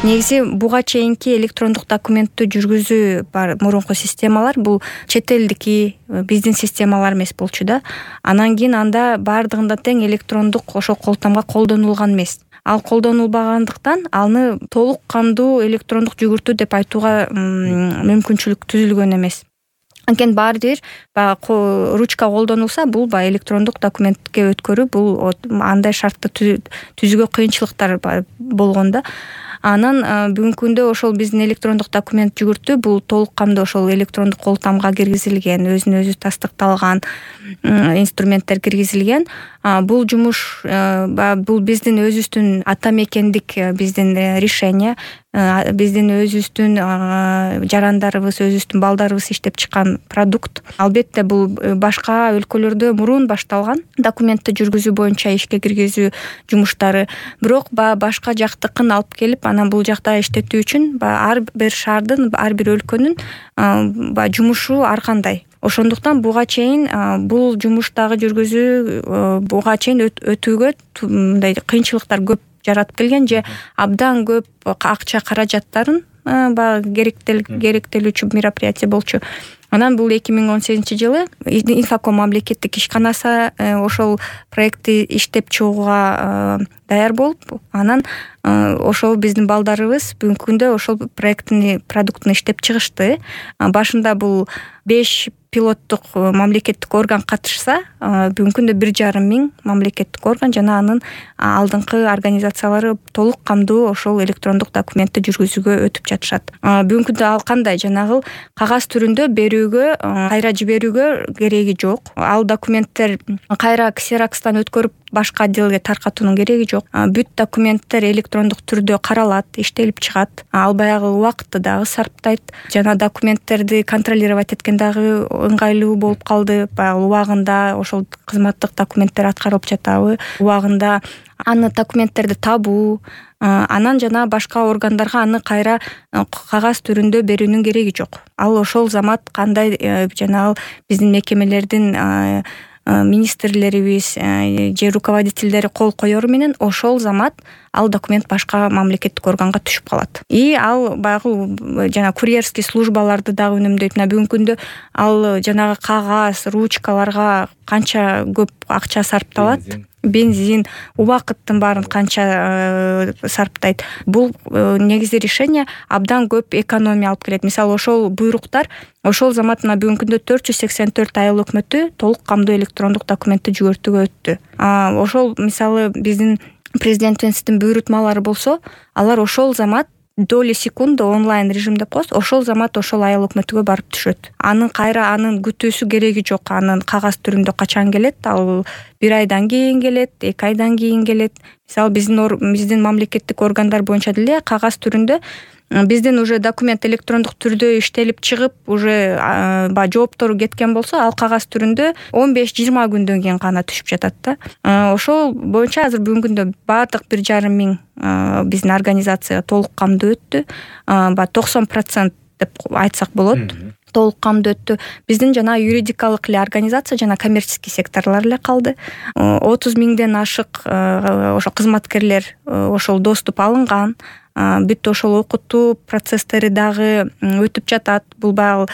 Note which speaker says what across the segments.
Speaker 1: Негизи буга чейинки электрондук документтүү жүргүзүү бар мурунку системалар бул чет элдики биздин системалар эмес болчу да. Анан кийин анда бардыгында тең электрондук ошол колтамга колдонулган эмес. Ал колдонулбагандыктан аны толук кандуу электрондук жүгүртүү деп айтууга мүмкүнчүлүк түзүлгөн эмес. Анткени баары бир баягы ручка колдонулса, бул баягы электрондук документке өткөрүү бул андай шартты түзүүгө кыйынчылыктар болгон да. Анан бүгүнкү күндө ошол биздин электрондук документ жүгүртүү бул толук кандуу ошол электрондук колтамга киргизилген, өзүнө өзү тастыкталган инструменттер киргизилген. Бул жумуш бул биздин өзүбүздүн ата мекендик биздин решение, биздин өзүбүздүн жарандарыбыз, өзүбүздүн балдарыбыз иштеп чыккан продукт. Албетте бул башка өлкөлөрдө мурун башталган документти жүргүзүү боюнча ишке киргизүү жумуштары. Бирок башка жактыкын алып келип, анан бул жакта иштетүү үчүн ар бир шаардын, ар бир өлкөнүн жумушу ар кандай. Ошондуктан буга чейин бул жумуштагы жүргүзүү буга чейин өтүүгө мындай кыйынчылыктар көп жаратып келген же абдан көп акча каражаттарын керектелүүчү мероприятие болчу. Анан бул 2018-жылы Инфоком мамлекеттик ишканасы ошол проектти иштеп чыгууга даяр болуп, анан ошол биздин балдарыбыз бүгүнкү күндө ошол проекттин продуктун иштеп чыгышты. Башында бул 5 пилоттук мамлекеттик орган катышса, бүгүнкү күндө 1,5 миң мамлекеттик орган жана анын алдыңкы организациялары толук кандуу ошол электрондук документти жүргүзүүгө өтүп жатышат. Бүгүнкү күндө ал кандай жанагы кагаз түрүндө берүүгө, кайра жиберүүгө кереги жок. Ал документтер кайра ксерокстан өткөрүп башка отделге таркатуунун кереги жок. Бүт документтер электрондук түрдө каралат, иштелип чыгат. Ал баягы убакытты дагы сарптайт. Жана документтерди контролировать эткен дагы ыңгайлуу болуп калды. Баягы убагында ошол кызматтык документтер аткарылып жатабы, убагында аны документтерди табуу, анан жана башка органдарга аны кайра кагаз түрүндө берүүнүн кереги жок. Ал ошол замат кандай жанагы биздин мекемелердин министрлерибиз же руководительдери кол коёру менен ошол замат ал документ башка мамлекеттик органга түшүп калат. И ал баягы жана курьерский службаларды дагы үнөмдөйт. Бүгүнкү күндө ал жанагы кагаз, ручкаларга канча көп акча сарпталат, бензин, убакыттын баарын канча сарптайт. Бул негизи решение абдан көп экономия алып келет. Мисалы, ошол буйруктар ошол замат бүгүнкү күндө 484 айыл өкмөтү толук камдуу электрондук документти жүгүртүүгө өттү. Ошол мисалы биздин президентибиздин буйрутмалары болсо, алар ошол замат доли секунды онлайн режим деп коебуз, ошол замат ошол айыл өкмөтүгө барып түшөт. Анын күтүүсү кереги жок. Анын кагаз түрүндө качан келет? Ал 1 айдан кийин келет, 2 айдан кийин келет. Мисалы биздин мамлекеттик органдар боюнча деле кагаз түрүндө биздин уже документ электрондук түрдө иштелип чыгып, уже жооптору кеткен болсо, ал кагаз түрүндө 15-20 күндөн кийин гана түшүп жатат да. Ошол боюнча азыр бүгүнкү күндө баардык 1,5 миң биздин организация толук камдуу өттү. 90% деп айтсак болот. Толук камдуу өттү. Биздин жана юридикалык эле организация жана коммерческий секторлор эле калды. 30 миңден ашык ошо кызматкерлер ошол доступ алынган. Бүт ошол окутуу процесстери дагы өтүп жатат. Бул баягы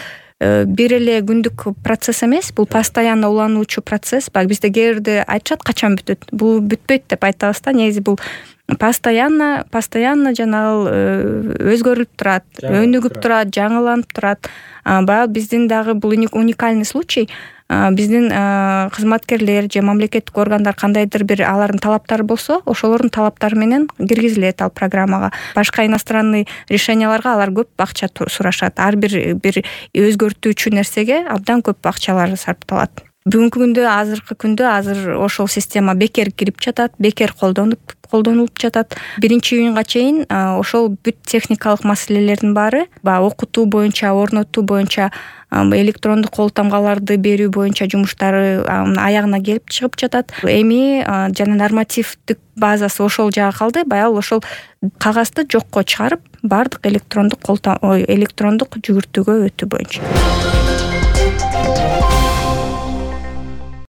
Speaker 1: бир эле күндүк процесс эмес, бул постоянно улануучу процесс. Бизде кээ бирде айтышат качан бүтөт. Бул бүтпөйт деп айтабыз да. Негизи бул постоянно жанагы өзгөрүлүп турат, өнүгүп турат, жаңыланып турат. Баягы биздин дагы бул уникальный случай. Биздин кызматкерлер же мамлекеттик органдар кандайдыр бир алардын талаптары болсо, ошолордун талаптары менен киргизилет ал программага. Башка иностранный решенияларга алар көп акча сурашат. Ар бир өзгөртүүчү нерсеге абдан көп акчалар сарпталат. Бүгүнкү күндө, азыркы күндө ошол система бекер кирип жатат, бекер колдонулуп жатат. 1-июнга чейин ошол бүт техникалык маселелердин баары, окутуу боюнча, орнотуу боюнча, электрондук колтамгаларды берүү боюнча жумуштары аягына келип чыгып жатат. Эми жана нормативдик базасы ошол жагы калды. Баягы ошол кагазды жокко чыгарып, баардык электрондук жүгүртүүгө өтүү боюнча.